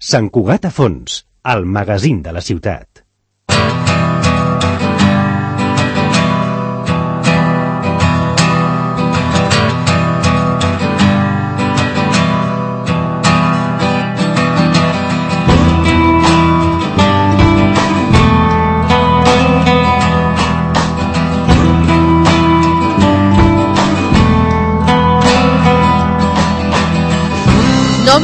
Sant Cugat a fons, el magazín de la ciutat.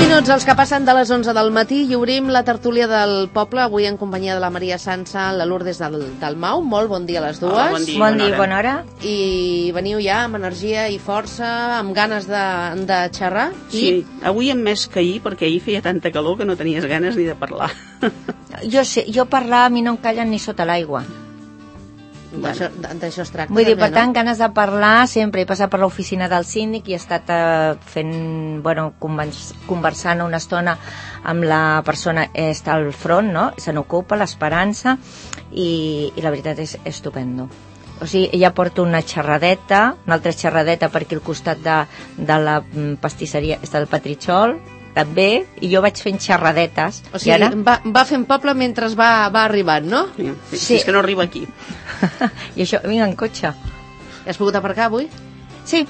Minuts els que passen de les 11 del matí i obrim la tertúlia del poble, avui en companyia de la Maria Sansa, la Lourdes del Mau. Molt bon dia a les dues. Bon dia i bona hora. I veniu ja amb energia i força, amb ganes de xerrar. Sí, avui hem més que ahir, perquè ahir feia tanta calor que no tenies ganes ni de parlar. Jo parlar, a mi no em callen ni sota l'aigua. D'això es tracta. Vull dir, per tant, ganes de parlar sempre. He passat per l'oficina del síndic i he estat conversant una estona amb la persona que està al front, no? Se n'ocupa, l'Esperança, i la veritat és estupendo. O sigui, ella porta una altra xerradeta per aquí al costat de la pastisseria, està el Petritxol, també, i jo vaig fent xerradetes. O sigui, ara va fent poble mentre va arribant, no? Sí, és que no arriba aquí. I això, vinga, en cotxe. Has pogut aparcar avui? Sí,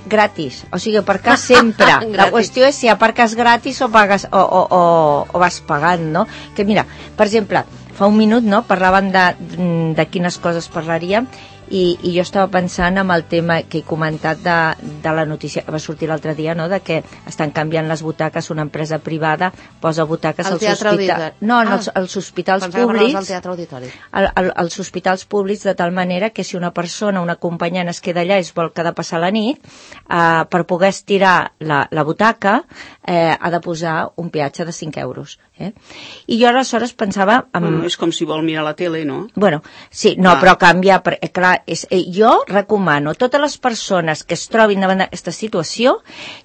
gratis. O sigui, aparcar sempre. La qüestió és si aparques gratis o pagues o vas pagant, no? Que mira, per exemple, fa un minut, no, parlaven de quines coses parlaríem, i jo estava pensant en el tema que he comentat de la notícia que va sortir l'altre dia, no?, de que estan canviant les butaques, una empresa privada posa butaques als hospitals. No, als hospitals públics. Al Teatre Auditori. Als hospitals públics, de tal manera que si una persona, una acompanyant es queda allà i es vol quedar a passar la nit, per poder estirar la butaca ha de posar un peatge de 5 euros. I jo aleshores pensava... És com si vol mirar la tele, no? Bueno, sí, no, però canvia... Clar, jo recomano a totes les persones que es trobin davant d'aquesta situació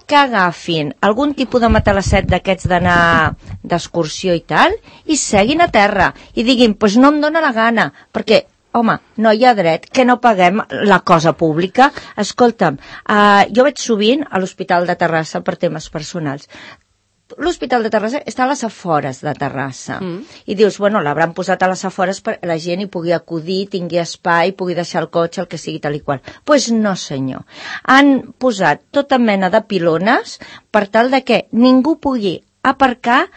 que agafin algun tipus de matalasset d'aquests d'anar d'excursió i tal, i seguin a terra i diguin, doncs no em dóna la gana, perquè home, no hi ha dret que no paguem la cosa pública. Escolta'm, jo vaig sovint a l'Hospital de Terrassa per temes personals. L'Hospital de Terrassa està a les afores de Terrassa. I dius, bueno, l'hauran posat a les afores perquè la gent hi pugui acudir, tingui espai, pugui deixar el cotxe, el que sigui tal i qual. Doncs no, senyor. Han posat tota mena de pilones per tal de que ningú pugui aparcar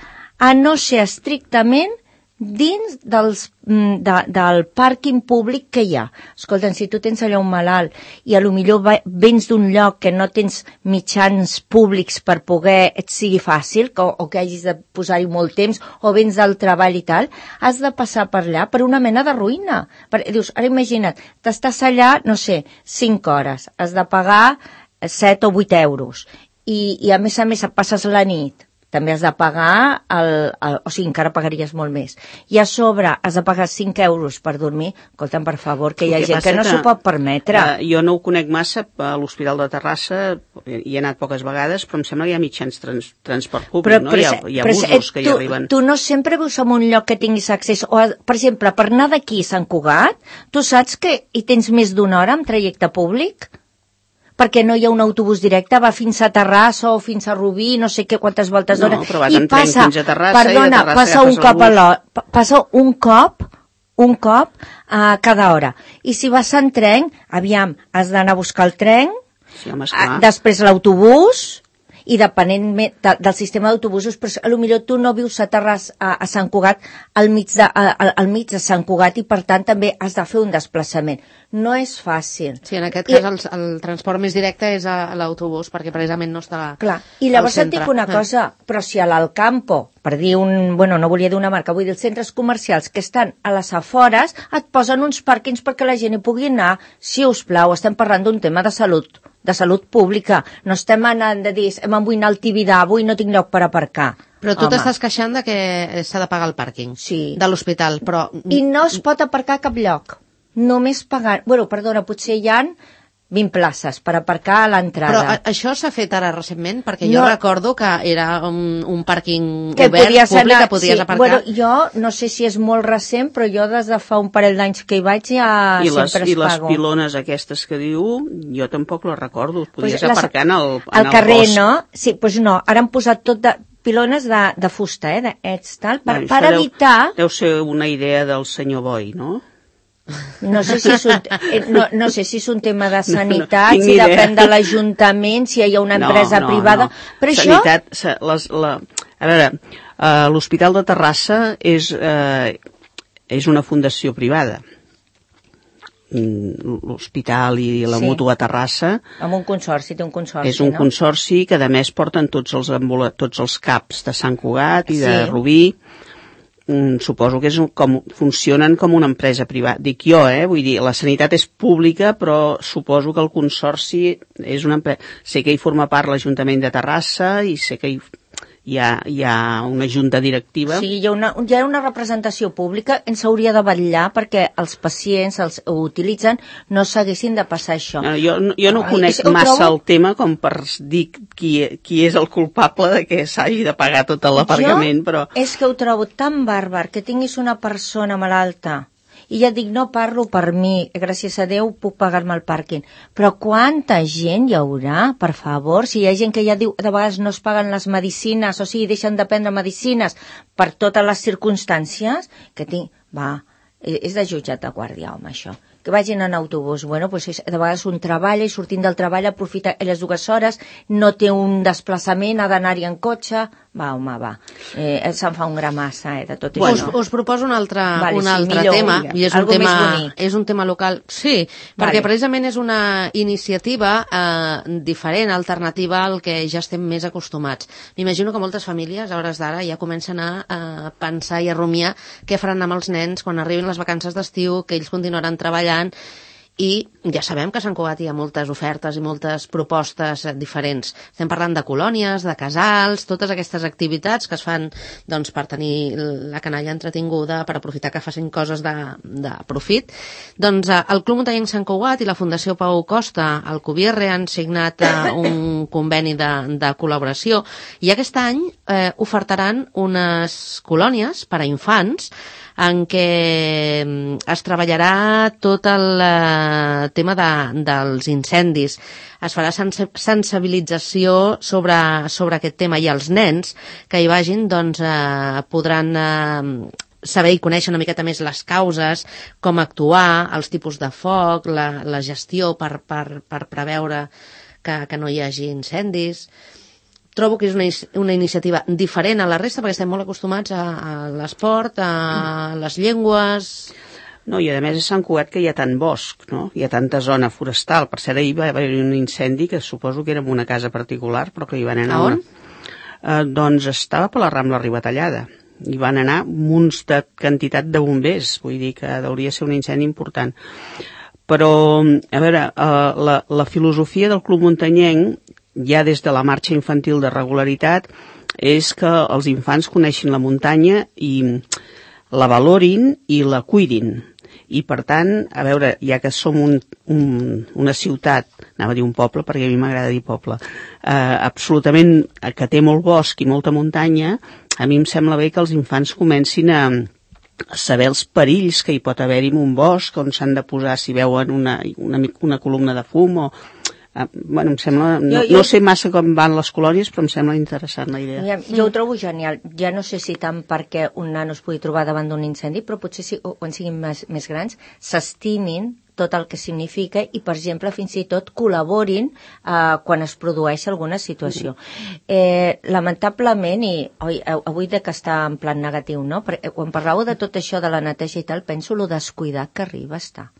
a no ser estrictament dins del pàrquing públic que hi ha. Escolta, si tu tens allà un malalt i potser vens d'un lloc que no tens mitjans públics per poder et sigui fàcil, o que hagis de posar-hi molt temps, o vens del treball i tal, has de passar per allà per una mena de ruïna. Dius, ara imagina't, t'estàs allà, no sé, 5 hores, has de pagar 7 o 8 euros, i a més passes la nit, també has de pagar, o sigui, encara pagaries molt més. I a sobre has de pagar 5 euros per dormir. Escolta'm, per favor, que hi ha gent que no s'ho pot permetre. Jo no ho conec massa, a l'Hospital de Terrassa hi he anat poques vegades, però em sembla que hi ha mitjans transport públic, no? Hi ha busos que hi arriben. Tu no sempre vius en un lloc que tinguis accés, o, per exemple, per anar d'aquí a Sant Cugat, tu saps que hi tens més d'una hora en trajecte públic? Perquè no hi ha un autobús directe, va fins a Terrassa o fins a Rubí, no sé què, quantes voltes d'hora. No, però vas en tren fins a Terrassa, perdona, i de Terrassa passa un cop a cada hora. I si vas en tren, aviam, has d'anar a buscar el tren, sí, home, després l'autobús, i depenent del sistema d'autobusos, però potser tu no vius a Terrassa, a Sant Cugat, al mig de Sant Cugat, i per tant també has de fer un desplaçament. No és fàcil. Sí, en aquest cas el transport més directe és a l'autobús, perquè precisament no està clar. I llavors et dic una cosa, però si a l'Alcampo, per dir no volia dir una marca, vull dir els centres comercials que estan a les afores, et posen uns pàrquings perquè la gent hi pugui anar. Si us plau, estem parlant d'un tema de salut pública. No estem anant de dir, em vull anar al Tibidà, avui no tinc lloc per aparcar. Però tu t'estàs queixant de que s'ha de pagar el pàrquing de l'hospital, però... I no es pot aparcar a cap lloc. Només pagar... Bueno, perdona, potser hi ha 20 places per aparcar a l'entrada. Però això s'ha fet ara recentment? Perquè jo recordo que era un pàrquing obert, públic, que podies aparcar. Bueno, jo no sé si és molt recent, però jo des de fa un parell d'anys que hi vaig ja sempre es pago. I les pilones aquestes que diu, jo tampoc les recordo. Podies aparcar en el carrer, bosc. No? Sí, doncs no, ara han posat tot pilones de fusta, tal, per evitar... Deu ser una idea del senyor Boi, no? No sé si és un tema de sanitat, si depèn de l'Ajuntament, si hi ha una empresa privada, però això... A veure, l'Hospital de Terrassa és una fundació privada. L'hospital i la Mútua Terrassa... Amb un consorci, té un consorci, és un consorci que, a més, porten tots els CAPs de Sant Cugat i de Rubí. Suposo que funcionen com una empresa privada. Dic jo, vull dir, la sanitat és pública, però suposo que el consorci és una empresa. Sé que hi forma part l'Ajuntament de Terrassa i sé que hi ha una junta directiva. Sí, hi ha una representació pública, ens hauria de vetllar perquè els pacients ho utilitzen, no s'haguessin de passar això. Jo no conec massa el tema com per dir qui és el culpable de que s'hagi de pagar tot l'aparcament, però... És que ho trobo tan bàrbar que tinguis una persona malalta i ja dic, no parlo per mi, gràcies a Déu puc pagar-me el pàrquing, però quanta gent hi haurà, per favor, si hi ha gent que ja diu, de vegades no es paguen les medicines, o sigui, deixen de prendre medicines per totes les circumstàncies, que és de jutjat de guàrdia, home, això. Que vagin en autobús, bueno, pues de vegades un treballa i sortint del treball aprofita les 2 hores, no té un desplaçament, ha d'anar-hi en cotxe, se'n fa un gramassa, de tot això. Us proposo un altre tema, i és un tema local, sí, perquè precisament és una iniciativa diferent, alternativa al que ja estem més acostumats. M'imagino que moltes famílies, a hores d'ara, ja comencen a pensar i a rumiar què faran amb els nens quan arribin les vacances d'estiu, que ells continuaran treballant, i ja sabem que a Sant Cugat hi ha moltes ofertes i moltes propostes diferents. Estem parlant de colònies, de casals, totes aquestes activitats que es fan per tenir la canalla entretinguda, per aprofitar que facin coses de profit. Doncs el Club Muntanyenc Sant Cugat i la Fundació Pau Costa, el Cubierre, han signat un conveni de col·laboració i aquest any ofertaran unes colònies per a infants en què es treballarà tot el tema dels incendis. Es farà sensibilització sobre aquest tema i els nens que hi vagin podran saber i conèixer una miqueta més les causes, com actuar, els tipus de foc, la gestió per preveure que no hi hagi incendis. Trobo que és una iniciativa diferent a la resta perquè estem molt acostumats a l'esport, a les llengües... No, i a més a Sant Cugat que hi ha tant bosc, no? Hi ha tanta zona forestal. Per cert, ahir va haver un incendi que suposo que era en una casa particular, però que hi van anar... A on? Doncs estava per la Rambla Ribatallada. Hi van anar munts de quantitat de bombers, vull dir que hauria de ser un incendi important. Però, a veure, la filosofia del Club Muntanyenc, ja des de la marxa infantil de regularitat, és que els infants coneixin la muntanya i la valorin i la cuidin. I, per tant, a veure, ja que som una ciutat, anava a dir un poble, perquè a mi m'agrada dir poble, absolutament que té molt bosc i molta muntanya, a mi em sembla bé que els infants comencin a saber els perills que hi pot haver-hi en un bosc, on s'han de posar si veuen una columna de fum o... Bueno, em sembla... No sé massa com van les colònies, però em sembla interessant la idea. Jo ho trobo genial. Ja no sé si tant perquè un nano es pugui trobar davant d'un incendi, però potser quan siguin més grans s'estimin tot el que significa i, per exemple, fins i tot col·laborin quan es produeix alguna situació. Lamentablement, i avui de que està en plan negatiu, no? Perquè quan parlàveu de tot això de la neteja i tal, penso lo descuidat que arriba a estar.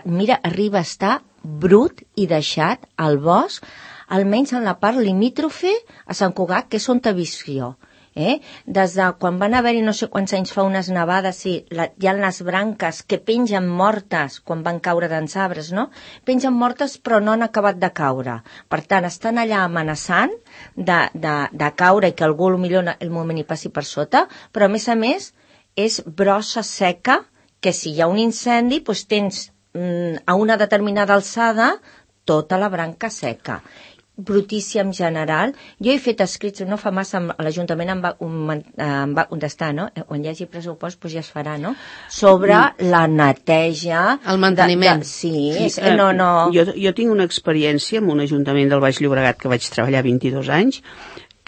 Mira, arriba a estar brut i deixat al bosc, almenys en la part limítrofe a Sant Cugat, que és on t'he vist jo. Des de quan van haver-hi no sé quants anys fa unes nevades, hi ha les branques que pengen mortes quan van caure dels arbres, no? Pengen mortes però no han acabat de caure. Per tant, estan allà amenaçant de caure i que algú potser el moment hi passi per sota, però a més és brossa seca que si hi ha un incendi doncs tens a una determinada alçada tota la branca seca. Brutícia en general. Jo he fet escrits, no fa massa, l'Ajuntament em va contestar, no? Quan hi hagi pressupost doncs ja es farà, no? Sobre la neteja... El manteniment. Sí, Jo tinc una experiència amb un Ajuntament del Baix Llobregat que vaig treballar 22 anys,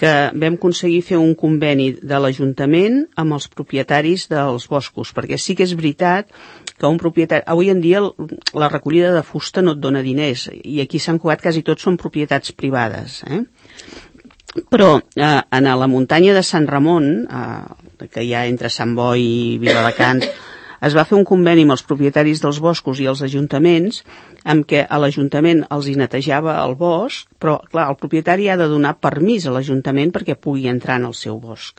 que vam aconseguir fer un conveni de l'Ajuntament amb els propietaris dels boscos, perquè sí que és veritat que un propietari... Avui en dia la recollida de fusta no et dona diners, i aquí a Sant Cugat quasi tots són propietats privades, Però a la muntanya de Sant Ramon, que hi ha entre Sant Boi i Viladecans, es va fer un conveni amb els propietaris dels boscos i els ajuntaments, amb què a l'Ajuntament els hi netejava el bosc, però, clar, el propietari ha de donar permís a l'Ajuntament perquè pugui entrar en el seu bosc.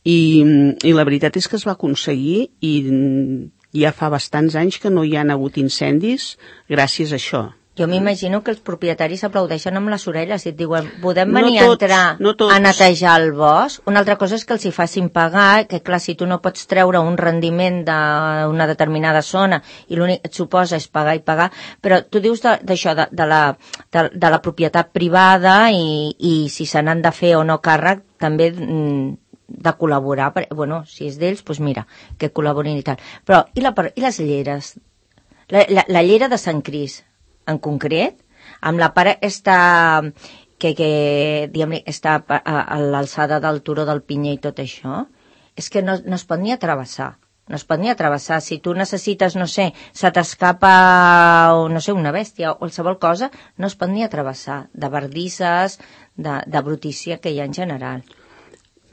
I la veritat és que es va aconseguir, i ja fa bastants anys que no hi han hagut incendis gràcies a això. Jo m'imagino que els propietaris aplaudeixen amb les orelles i et diuen, podem venir a entrar a netejar el bosc? Una altra cosa és que els hi facin pagar, que clar, si tu no pots treure un rendiment d'una determinada zona i l'únic que et suposa és pagar i pagar, però tu dius d'això, de la propietat privada i si se n'han de fer o no càrrec, també de col·laborar, bueno, si és d'ells, doncs mira, que col·laborin i tal. Però, i les lleres? La llera de Sant Cris, en concret, amb la part que diguem-ne, està a l'alçada del turó del Pinyer i tot això, és que no es pot ni travessar. No es pot ni travessar. Si tu necessites, no sé, se t'escapa, no sé, una bèstia o qualsevol cosa, no es pot ni travessar. De bardisses, de brutícia que hi ha en general.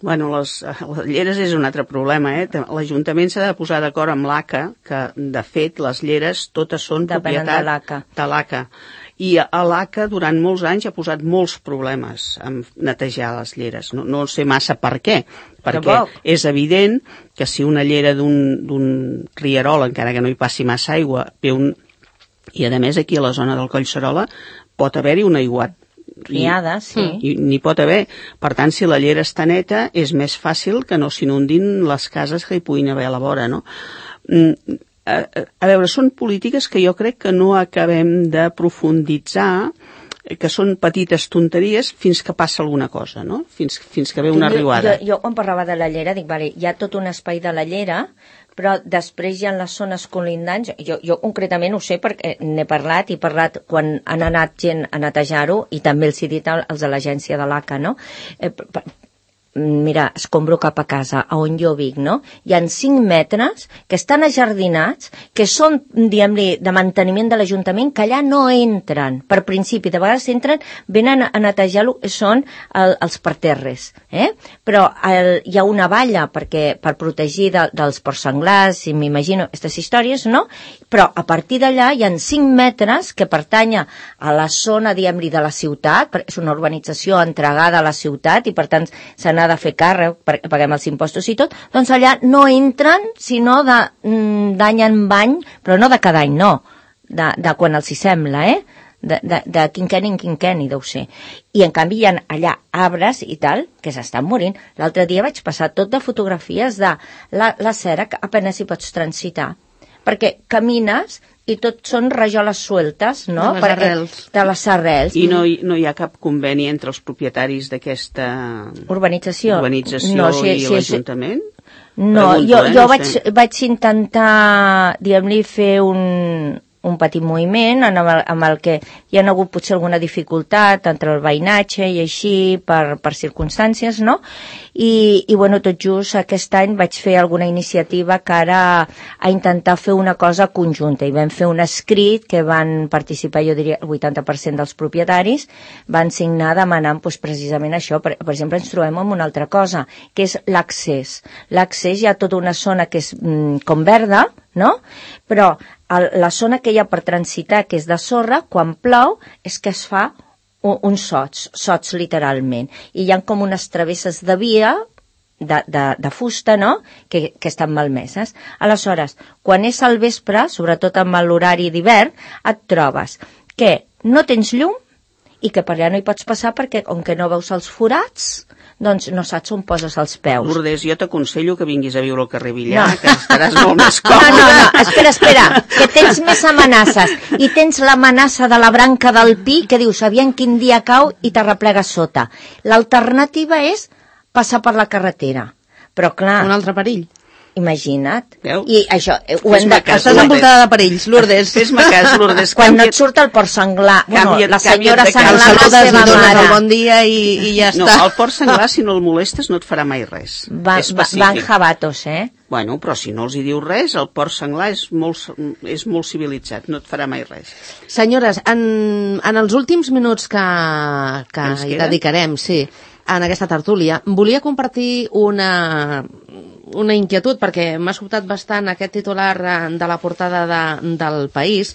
Bueno, les lleres és un altre problema, L'Ajuntament s'ha de posar d'acord amb l'ACA, que, de fet, les lleres totes són propietat de l'ACA. I a l'ACA, durant molts anys, ha posat molts problemes amb netejar les lleres. No sé massa per què, perquè és evident que si una llera d'un rierol, encara que no hi passi massa aigua, i a més aquí a la zona del Collserola pot haver-hi un aiguat riada, sí. N'hi pot haver. Per tant, si la llera està neta, és més fàcil que no s'inundin les cases que hi puguin haver a la vora, no? A veure, són polítiques que jo crec que no acabem de profunditzar, que són petites tonteries fins que passa alguna cosa, no? Fins que ve una riuada. Jo quan parlava de la llera, dic, vale, hi ha tot un espai de la llera, però després hi ha les zones colindants. Jo concretament ho sé perquè n'he parlat, i he parlat quan han anat gent a netejar-ho, i també els he dit als de l'agència de l'ACA, no? Mira, escombro cap a casa, a on jo vic, no? Hi ha 5 metres que estan ajardinats, que són, diguem-li, de manteniment de l'Ajuntament, que allà no entren. Per principi, de vegades entren, venen a netejar-lo, són els parterres, Però hi ha una valla per protegir dels porcs senglars, si m'imagino, aquestes històries, no? Però a partir d'allà hi ha 5 metres que pertanya a la zona, diguem-li, de la ciutat, perquè és una urbanització entregada a la ciutat i per tant se n'ha de fer càrrec, perquè paguem els impostos i tot, doncs allà no entren sinó d'any en any, però no de cada any, no, de quan els hi sembla, de quinquenni en quinquenni, deu ser. I en canvi hi ha allà arbres i tal que s'estan morint. L'altre dia vaig passar tot de fotografies de la cera que apenas hi pots transitar, perquè camines i tot són rajoles sueltes, no? De les arrels. I no hi ha cap conveni entre els propietaris d'aquesta urbanització i l'Ajuntament? No, jo vaig intentar, diguem-li, fer un petit moviment amb el que hi ha hagut potser alguna dificultat entre el veïnatge i així per circumstàncies, no? I bueno, tot just aquest any vaig fer alguna iniciativa cara a intentar fer una cosa conjunta, i vam fer un escrit que van participar, jo diria, el 80% dels propietaris, van signar demanant precisament això. Per exemple, ens trobem amb una altra cosa, que és l'accés. L'accés, hi ha tota una zona que és com verda, no? Però la zona que hi ha per transitar, que és de sorra, quan plou, és que es fa uns sots literalment. I hi ha com unes travesses de via de fusta, no?, que estan malmeses. Aleshores, quan és al vespre, sobretot amb l'horari d'hivern, et trobes que no tens llum i que per allà no hi pots passar perquè, com que no veus els forats, doncs no saps on poses els peus. Lourdes, jo t'aconsello que vinguis a viure al carrer Villar, que estaràs molt més còmode. No, espera, que tens més amenaces. I tens l'amenaça de la branca del pi, que dius, aviam quin dia cau i t'arreplega sota. L'alternativa és passar per la carretera. Però clar... Un altre perill. Imagina't. Veu? I això... Estàs envoltada de perills, Lourdes. Fes-me cas, Lourdes. Quan no et surt el porc senglar, la senyora senglar, la seva mare. El bon dia i ja està. No, el porc senglar, si no el molestes, no et farà mai res. Van jabatos, Bueno, però si no els hi diu res, el porc senglar és molt civilitzat, no et farà mai res. Senyores, en els últims minuts que hi dedicarem, sí, en aquesta tertúlia, volia compartir una inquietud, perquè m'ha sobtat bastant aquest titular de la portada del País,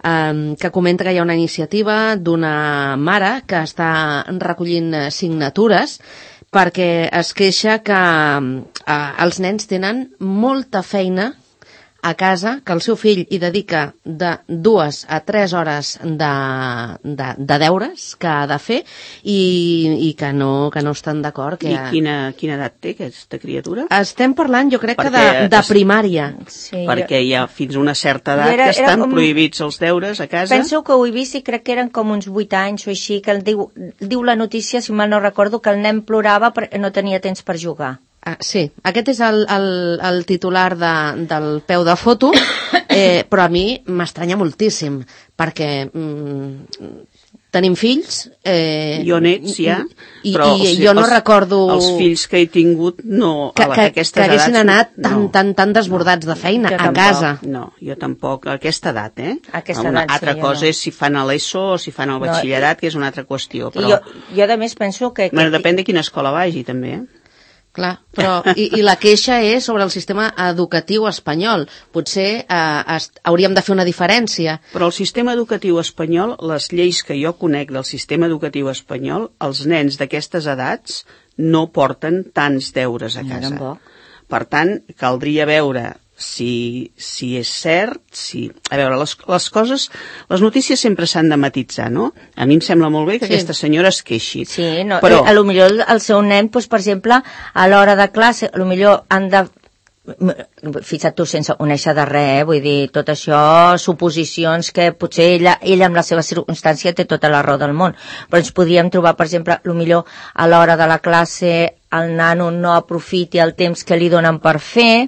que comenta que hi ha una iniciativa d'una mare que està recollint signatures perquè es queixa que els nens tenen molta feina a casa, que el seu fill hi dedica de 2 a 3 hores de deures que ha de fer i que no estan d'acord. I quina edat té aquesta criatura? Estem parlant, jo crec que de primària. Sí, perquè hi ha fins a una certa edat que estan prohibits els deures a casa. Penso que ho he vist i crec que eren com uns 8 anys o així, que diu la notícia, si mal no recordo, que el nen plorava perquè no tenia temps per jugar. Sí, aquest és el titular del peu de foto, però a mi m'estranya moltíssim, perquè tenim fills... Jo nets, ja, però jo no recordo... Els fills que he tingut, no, a aquestes edats... Que haguessin anat tan desbordats de feina a casa. No, jo tampoc, a aquesta edat, Una altra cosa és si fan a l'ESO o si fan el batxillerat, que és una altra qüestió, però... Jo a més penso que... Depèn de quina escola vagi, també, Clar, però i la queixa és sobre el sistema educatiu espanyol. Potser hauríem de fer una diferència. Però el sistema educatiu espanyol, les lleis que jo conec del sistema educatiu espanyol, els nens d'aquestes edats no porten tants deures a casa. Per tant, caldria veure si és cert, a veure, les coses, les notícies sempre s'han de matitzar, no? A mi em sembla molt bé que aquesta senyora es queixi. Sí, però... a lo millor el seu nen, doncs, per exemple, a l'hora de classe, a lo millor han de... Fixa't tu, sense conèixer de res, vull dir, tot això, suposicions que potser ella amb la seva circumstància té tota la raó del món, però ens podríem trobar, per exemple, a lo millor a l'hora de la classe el nano no aprofiti el temps que li donen per fer,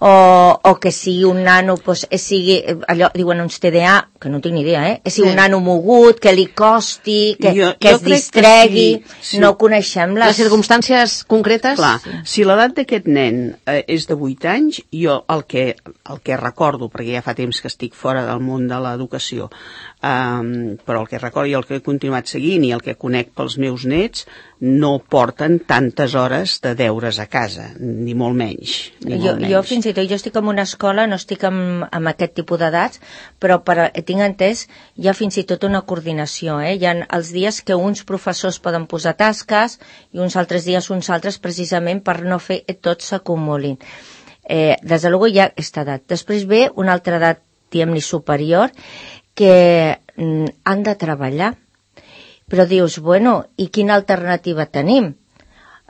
o que sigui un nano, doncs, sigui, allò, diuen uns TDA, que no tinc ni idea, sigui un nano mogut, que li costi, que es distregui, no coneixem les circumstàncies concretes. Clar, si l'edat d'aquest nen és de 8 anys, jo el que recordo, perquè ja fa temps que estic fora del món de l'educació, però el que recordo i el que he continuat seguint i el que conec pels meus nets no porten tantes hores de deures a casa, ni molt menys. Jo fins i tot, jo estic en una escola, no estic amb aquest tipus d'edats, però tinc entès, hi ha fins i tot una coordinació, hi ha els dies que uns professors poden posar tasques i uns altres dies uns altres, precisament per no fer tots s'acumulin. Des de luego hi ha aquesta edat. Després ve una altra edat, diguem-li, superior, que han de treballar. Però dius, bueno, i quina alternativa tenim?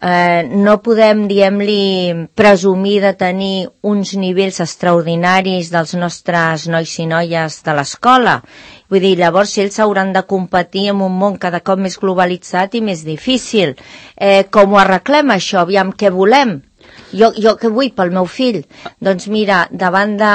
No podem, diguem-li, presumir de tenir uns nivells extraordinaris dels nostres nois i noies de l'escola. Vull dir, llavors ells hauran de competir en un món cada cop més globalitzat i més difícil. Com ho arreglem, això? Aviam, què volem? Jo què vull pel meu fill? Doncs mira, davant de...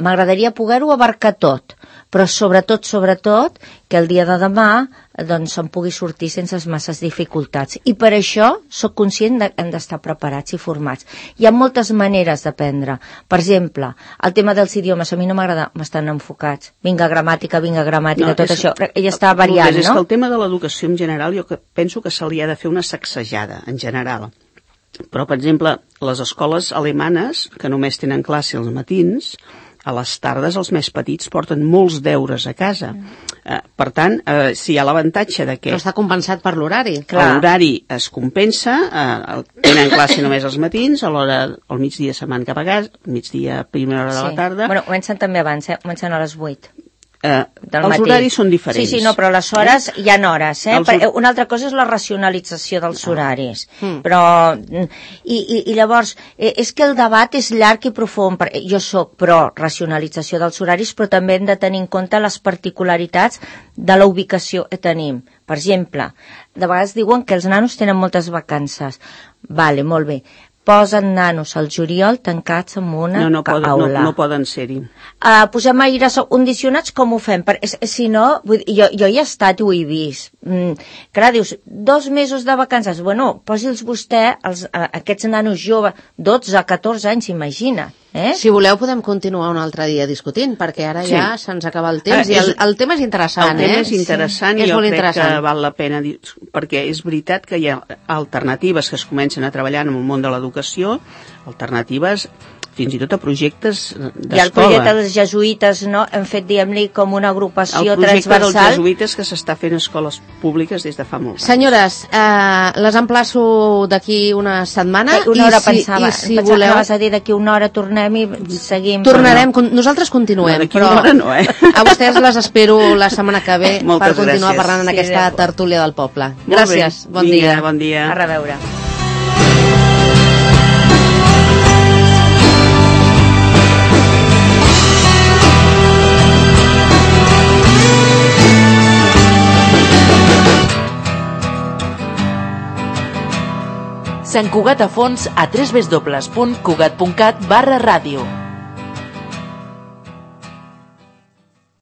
M'agradaria poder-ho abarcar tot, però sobretot, que el dia de demà doncs se'n pugui sortir sense masses dificultats. I per això sóc conscient que hem d'estar preparats i formats. Hi ha moltes maneres d'aprendre. Per exemple, el tema dels idiomes, a mi no m'agrada, m'estan enfocats. Vinga, gramàtica, tot això. Ella està variant, no? És que el tema de l'educació en general, jo penso que se li ha de fer una sacsejada, en general. Però, per exemple, les escoles alemanes, que només tenen classe als matins, a les tardes els més petits porten molts deures a casa. Per tant, si hi ha l'avantatge de que... No està compensat per l'horari. L'horari es compensa, tenen classe només als matins, a l'hora, al migdia se'n van cap a casa, migdia, primera hora de la tarda... Bueno, comencen també abans, comencen a les 8. Els horaris són diferents. Sí, no, però les hores hi ha hores, Una altra cosa és la racionalització dels horaris. Però, i llavors, és que el debat és llarg i profund. Jo soc pro racionalització dels horaris, però també hem de tenir en compte les particularitats de la ubicació que tenim. Per exemple, de vegades diuen que els nanos tenen moltes vacances. Vale, molt bé. posen nanos al juliol tancats en una aula. No poden ser-hi. Posem aires condicionats, com ho fem? Si no, jo hi he estat i ho he vist. Clar, dius, 2 mesos de vacances. Bueno, posi'ls vostè aquests nanos joves, 12, 14 anys, imagina. Si voleu podem continuar un altre dia discutint, perquè ara ja se'ns acaba el temps i el tema és interessant. El tema és interessant i jo crec que val la pena dir, perquè és veritat que hi ha alternatives que es comencen a treballar en el món de l'educació, alternatives fins i tot a projectes d'escola. I el projecte dels jesuïtes, no? Hem fet, diguem-li, com una agrupació transversal. El projecte dels jesuïtes que s'està fent a escoles públiques des de fa molt temps. Senyores, les emplaço d'aquí una setmana. Una hora pensava que vas a dir d'aquí una hora tornem i seguim. Tornarem, nosaltres continuem. D'aquí una hora no, A vostès les espero la setmana que ve per continuar parlant en aquesta tertúlia del poble. Gràcies, bon dia. Bon dia. A reveure. Sant Cugat a fons a www.cugat.cat/ràdio.